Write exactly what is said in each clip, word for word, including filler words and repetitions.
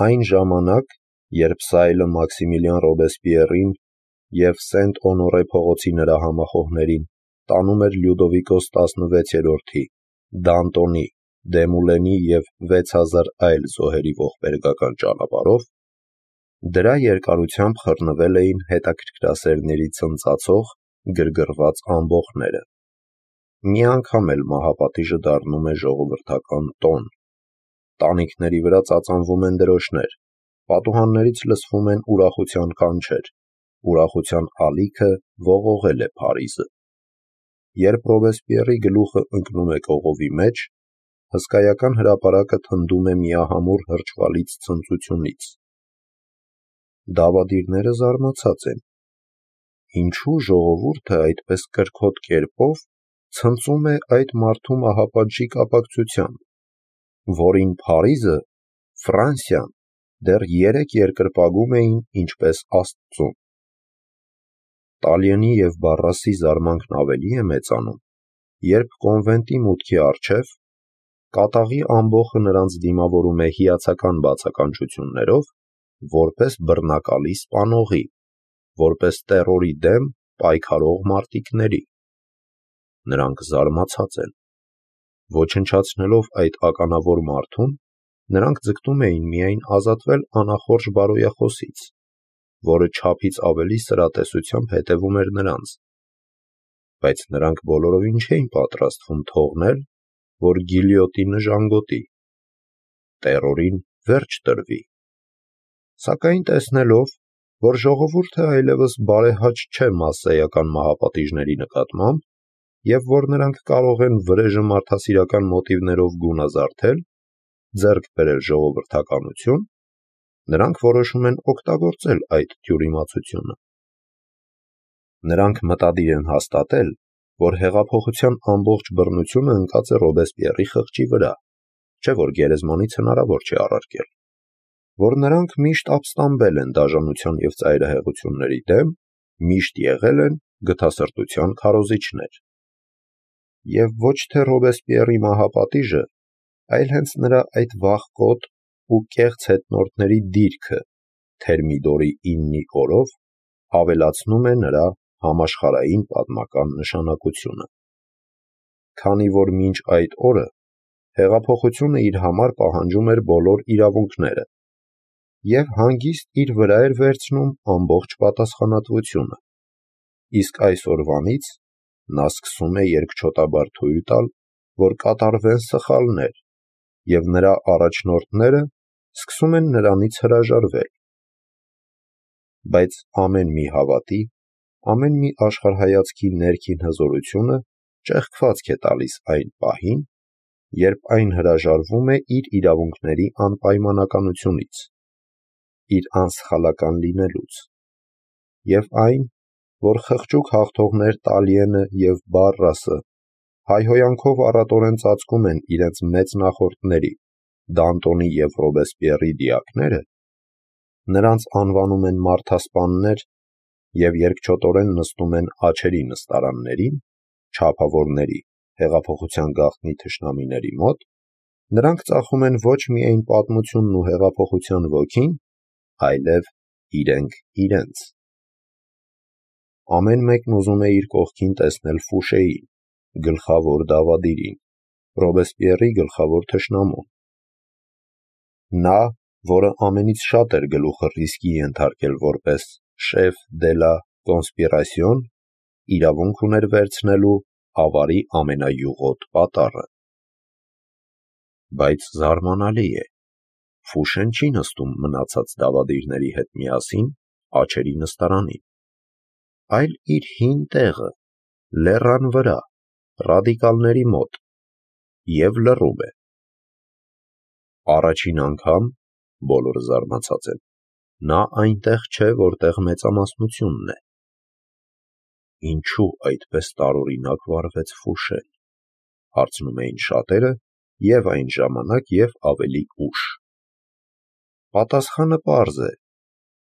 Այն ժամանակ, երբ Սայլը Մաքսիմիլիան Ռոբեսպիերին և Սենտ Օնորե փողոցի նրա համախոհներին տանում էր Լյուդովիկոս տասնվեցերորդի, Դանտոնի, Դեմուլենի և վեց հազար այլ զոհերի ողբերգական ճանապարհով, դրա երկարությամբ խռնվել էին հետաքրքրասերների ցնծացող, գրգռված ամբոխները։ Մի անգամ էլ մահապատիժը դառնում է ժողովրդական տոն։ Տանիքների վրա ծածանվում են դրոշներ, պատուհաններից լսվում են ուրախության կանչեր, ուրախության ալիքը ողողել է Փարիզը։ Երբ Ռոբեսպիերի գլուխը ընկնում է կողովի մեջ, հսկայական հրապարակը թնդում է միահամուռ հրճվալից ցնծությունից։ Դավադիրները զարմացած են. ինչու ժողովուրդը այդպես կրքոտ կերպով ցնծում է այդ մարդու մահապատժի կապակցությամբ, որին Փարիզը, Ֆրանսիան դեռ երեք երկրպագում էին ինչպես Աստծուն։ Տալիենի և Բարրասի զարմանքն ավելի է մեծանում, երբ կոնվենտի մուտքի առջև կատաղի ամբոխը նրանց դիմավորում է հիացական բացականչություններով, որպես բռնակալի սպանողի, որպես տեռորի դեմ պայքարող մարտիկների։ Նրանք զարմացած են։ Ոչնչացնելով այդ ականավոր մարդուն, նրանք ձգտում էին միայն ազատվել անախորժ բարոյախոսից, որը չափից ավելի սրատեսությամբ հետևում էր նրանց, բայց նրանք բոլորովին չէին պատրաստվում թողնել, որ գիլյոտինը ժանգոտի, տեռորին վերջ տրվի։ Սակայն տեսնելով, որ ժողովուրդը այլևս բարեհաճ չէ մասսայական մահապատիժների նկատմամբ, և որ նրանք կարող են վրեժը մարդասիրական մոտիվներով գունազարդել, ձեռք բերել ժողովրդականություն, նրանք որոշում են օգտագործել այդ թյուրիմացությունը։ Նրանք մտադիր են հաստատել, որ հեղափոխության ամբողջ բռնությունը ընկած է Ռոբեսպիերի խղճի վրա, չէ որ գերեզմանից հնարավոր չէ առարկել, որ նրանք միշտ ապստամբել են դաժանության և ծայրահեղությունների դեմ, միշտ եղել են գթասրտության քարոզիչներ։ Եվ ոչ թե Ռոբեսպիերի մահապատիժը, այլ հենց նրա այդ վախկոտ ու կեղծ հետնորդների դիրքը Թերմիդորի իննի օրով ավելացնում է նրա համաշխարհային պատմական նշանակությունը։ Քանի որ մինչ այդ օրը հեղափոխությունը իր համար պահանջում էր բոլոր իրավունքները և հանգիստ իր վրա էր վերցնում ամբողջ պատասխանատվությունը, իսկ այսօրվանից նա սկսում է երկչոտաբար թույլ տալ, որ կատարվեն սխալներ, և նրա առաջնորդները սկսում են նրանից հրաժարվել։ Բայց ամեն մի հավատի, ամեն մի աշխարհայացքի ներքին հզորությունը ճեղքվածք է տալիս այն պահին, երբ այն հրաժարվում է իր իրավունքների անպայմանականությունից, իր անսխալական լինելուց, և այն, որ խղճուկ հաղթողներ Տալիենը և Բարրասը հայհոյանքով առատորեն ծածկում են իրենց մեծ նախորդների՝ Դանտոնի և Ռոբեսպիերի դիակները, նրանց անվանում են մարդասպաններ և երկչոտորեն նստում են աջերի նստարաններին, չափավորների, հեղափոխության գաղտնի թշնամիների մոտ, նրանք ծախում են ոչ միայն պատմությունն ու հեղափոխության ոգին, այլև իրենք իրենց։ Ամեն մեկն ուզում է իր կողքին տեսնել Ֆուշեին, գլխավոր դավադիրին, Ռոբեսպիերի գլխավոր թշնամուն։ Նա, որը ամենից շատ էր գլուխը ռիսկի ենթարկել որպես շեֆ դե լա կոնսպիրասիոն, իրավունք ուներ վերցնելու ավարի ամենայուղոտ պատառը։ Բայց զարմանալի է, Ֆուշեն չի նստում մնացած դավադիրների հետ միասին աջերի նստարանին, այլ իր հին տեղը, լեռան վրա, ռադիկալների մոտ, և լռում է։ Առաջին անգամ, բոլորը զարմացած են, նա այնտեղ չէ, որտեղ մեծամասնությունն է։ Ինչու այդպես տարօրինակ վարվեց Ֆուշեն, հարցնում էին շատերը և այն ժամանակ, և ավելի ուշ։ Պատասխանը պարզ է,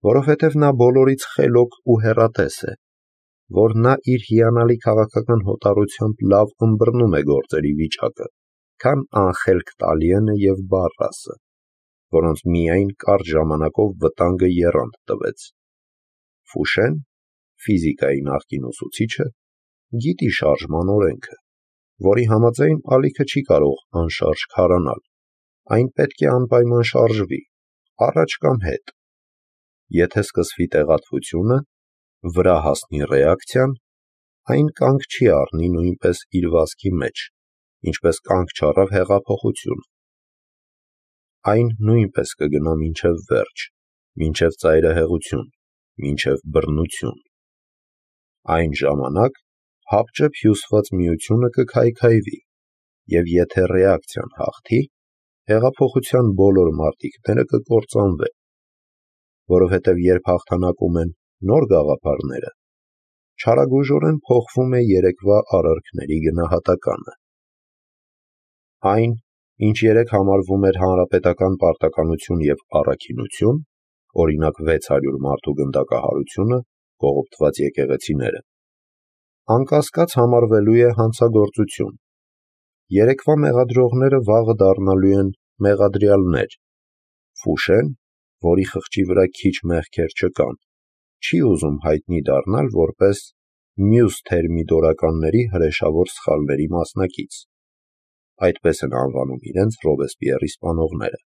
որովհետև նա բոլորից խելոք ու հեռատես է, որ նա իր հիանալի քաղաքական հոտառությամբ լավ ըմբռնում է գործերի վիճակը, քան անխելք Տալիենը և Բարրասը։ որոնց միայն կարճ ժամանակով վտանգը եռանդ տվեց։ Ֆուշեն, ֆիզիկայի նախկին ուսուցիչը, գիտի շարժման օրենքը, որի համաձայն ալիքը չի կարող անշարժ քարանալ, այն պետք է անպայման շարժվի, առաջ կամ հետ։ Եթե սկսվի տեղատվությունը, վրա հասնի ռեակցիան, այն կանգ չի առնի նույնպես իր վազքի մեջ, ինչպես կանգ չառավ հեղափոխությունը։ Այն նույնպես կգնա մինչև վերջ, մինչև ծայրահեղություն, մինչև բռնություն։ Այն ժամանակ հապճեպ հյուսված միությունը կքայքայվի, և եթե ռեակցիան հաղթի, հեղափոխության բոլոր մարտիկները կկործանվեն, որովհետև երբ հաղթանակում են նոր գաղափարները, չարագույժորեն փոխվում է երեկվա արարքների գնահատականը։ Այն, ինչ երեկ համարվում էր հանրապետական պարտականություն և առաքինություն, օրինակ վեց հարյուր մարդու գնդակահարությունը, կողոպտված եկեղեցիները, անկասկած համարվելու է հանցագործություն։ Երեկվա մեղադրողները վաղը դառնալու են մեղադրյալներ։ Ֆուշեն, որի խղճի վրա քիչ մեղքեր չկան, չի ուզում հայտնի դառնալ որպես մյուս թերմիդորականների հրեշավոր սխալների մասնակից, այդպես են անվանում իրենց Ռոբեսպիեռի սպանողները,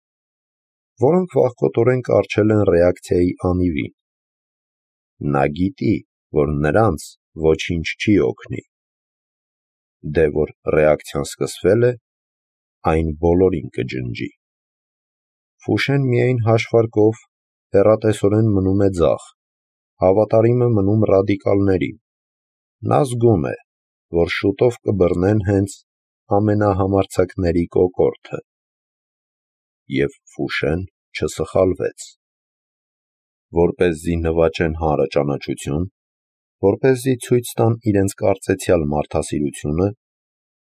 որոնք վաղկոտորեն կառչել են ռեակցիայի անիվին։ Նա գիտի, որ նրանց ոչինչ չի օգնի։ Դե որ ռեակցիան սկսվել է, այն բոլորին կջնջի։ Ֆուշեն միայն հաշվարկով հեռատեսորեն մնում է ձախ, հավատարիմը մնում ռադիկալներին։ Նա զգում է, որ շուտով կբռնեն հենց ամենահամարձակների կոկորդը։ Եվ Ֆուշեն չսխալվեց։ Որպեսզի նվաճեն հանրաճանաչություն, որպեսզի ցույց տան իրենց կարծեցյալ մարդասիրությունը,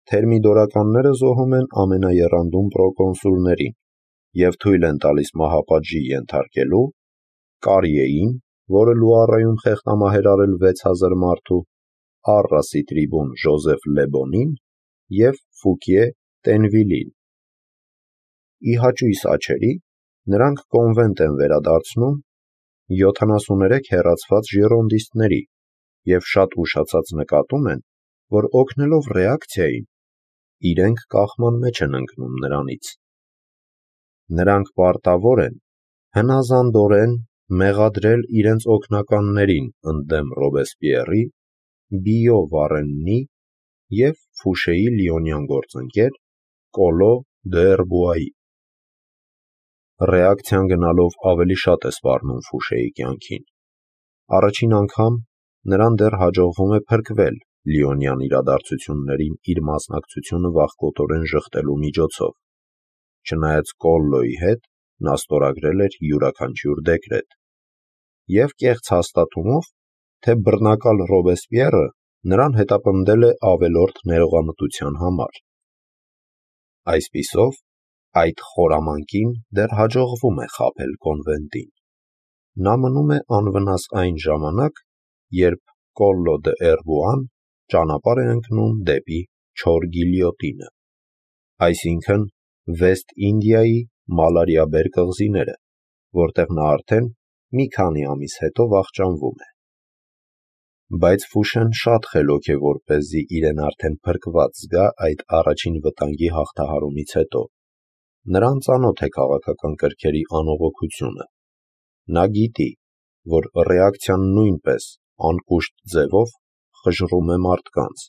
թերմիդորականները զոհում են ամենաեռանդուն պրոկոնսուլներին և թույլ են տալիս մահապատժի ենթարկելու Կարիեին, որը Լուառայում խեղդամահեր արել վեց հազար մարդու, Առասի տրիբուն Ժոզեֆ Լեբոնին և Ֆուկիե Տենվիլին։ Ի հաճույս աչերի նրանք կոնվենտ են վերադարձնում յոթանասուներեք հեռացված ժիրոնդիստների և շատ ուշացած նկատում են, որ օգնելով ռեակցիային, իրենք կաղման մեջ են ընկնում նրանից։ Նրանք պարտավոր են հնազանդորեն մեղադրել իրենց օգնականներին ընդդեմ Ռոբեսպիեռի, Բիյո Վարեննի և Ֆուշեի լիոնյան գործընկեր Կոլո դ'Երբուայի։ Ռեակցիան գնալով ավելի շատ է սպառնում Ֆուշեի կյանքին։ Առաջին անգամ նրան դեռ հաջողվում է փրկվել լիոնյան իրադարձություններին իր մասնակցությունը վաղկոտորեն ժխտելու միջոցով, չնայած Կոլլոյի հետ նա ստորագրել էր յուրաքանչյուր դեկրետ, և կեղծ հաստատումով, թե բռնակալ Ռոբեսպիեռը նրան հետապնդել է ավելորդ ներողամտության համար։ Այսպիսով, այդ խորամանկին դեռ հաջողվում է խաբել կոնվենտին։ Նա մնում է անվնաս այն ժամանակ, երբ Կոլլո դ'Երբուան ճանապարհ է ընկնում դեպի չոր գիլյոտինը, այսինքն Վեստ Ինդիայի մալարիաբեր կղզիները, որտեղ նա արդեն մի քանի ամիս հետո վախճանվում է։ Բայց Ֆուշեն շատ խելոք է, որպեսզի իրեն արդեն փրկված զգա այդ առաջին վտանգի հաղթահարումից հետո։ Նրան ծանոթ է քաղաքական կրքերի անողոքությունը։ Նա գիտի, որ ռեակցիան նույնպես անկուշտ ձևով խժռում է մարդկանց,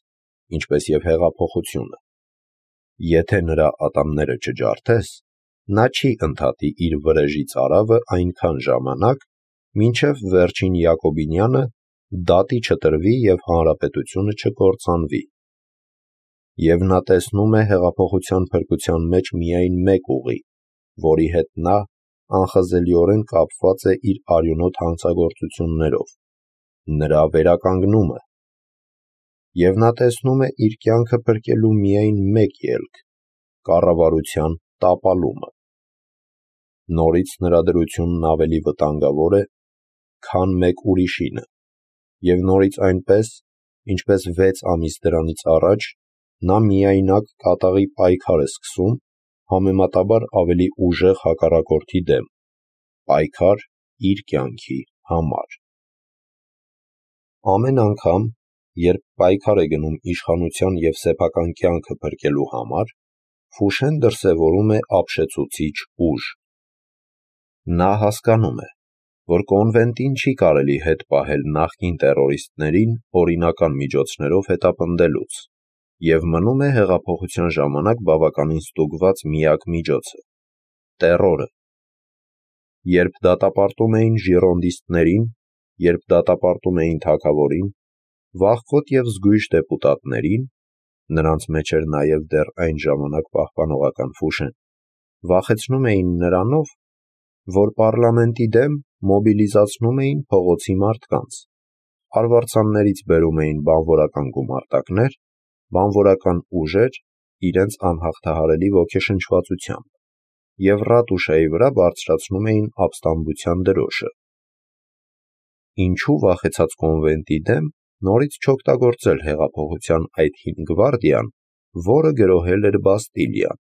ինչպես և հեղափոխությունը։ Եթե նրա ատամները չջարդես, նա չի ընդհատի իր վրեժի ծարավը այնքան ժամանակ, մինչև վերջին Յակոբինյանը դատի չտրվի և հանրապետությունը չկործանվի։ Եվ նա տեսնում է հեղափոխության փրկության մեջ միայն մեկ ուղի, որի հետ նա անխզելիորեն կապված է իր արյունոտ հանցագործություններով՝ նրա վերականգնումը։ Եվ նա տեսնում է իր կյանքը փրկելու միայն մեկ ելք՝ կառավարության տապալումը։ Նորից նրա դրությունն ավելի վտանգավոր է, քան մեկ ուրիշինը, և նորից այնպես, ինչպես վեց ամիս դրանից առաջ, նա միայնակ կատաղի պայքար է սկսում համեմատաբար ավելի ուժեղ հակառակորդի դեմ, պայքար իր կյանքի համար։ Ամեն անգամ, երբ պայքար է գնում իշխանության և սեփական կյանքը փրկելու համար, Ֆուշեն դրսևորում է ապշեցուցիչ ուժ։ Նա հասկանում է, որ կոնվենտին չի կարելի հետ պահել նախկին տերորիստներին օրինական միջոցներով հետապնդելուց, և մնում է հեղափոխության ժամանակ բավականին ստուգված միակ միջոցը՝ տերորը։ Երբ դատապարտում էին ժիրոնդիստներին, երբ դատապարտում էին թագավորին, վախկոտ և զգույշ դեպուտատներին, նրանց մեջ էր նաև դեռ այն ժամանակ պահպանողական Ֆուշեն, վախեցնում էին նրանով, որ պառլամենտի դեմ մոբիլիզացնում էին փողոցի մարդկանց, արվարձաններից բերում էին բանվորական գումարտակներ, բանվորական ուժեր իրենց անհաղթահարելի ոգեշնչվածությամբ և ռատուշայի վրա բարձրացնում էին ապստամբության դրոշը։ Ինչու վախեցած կոնվենտի դեմ նորից չօգտագործել հեղափոխության այդ հին գվարդիան, որը գրոհել էր Բաստիլիան,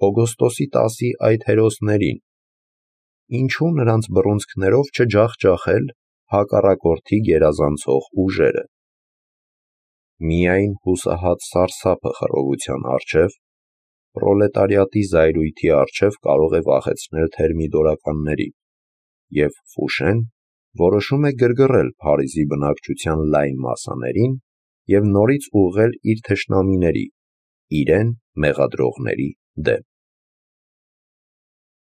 օգոստոսի տասի այդ հերոսներին։ Ինչու նրանց բռունցքներով չջախջախել հակառակորդի գերազանցող ուժերը։ Միայն հուսահատ սարսափը խռովության առջև, պրոլետարիատի զայրույթի առջև կարող է վախեցնել թերմիդորականներին, և Ֆուշեն որոշում է գրգռել Փարիզի բնակչության լայն մասսաներին և նորից ուղղել իր թշնամիների՝ իրեն մեղադրողների դեմ։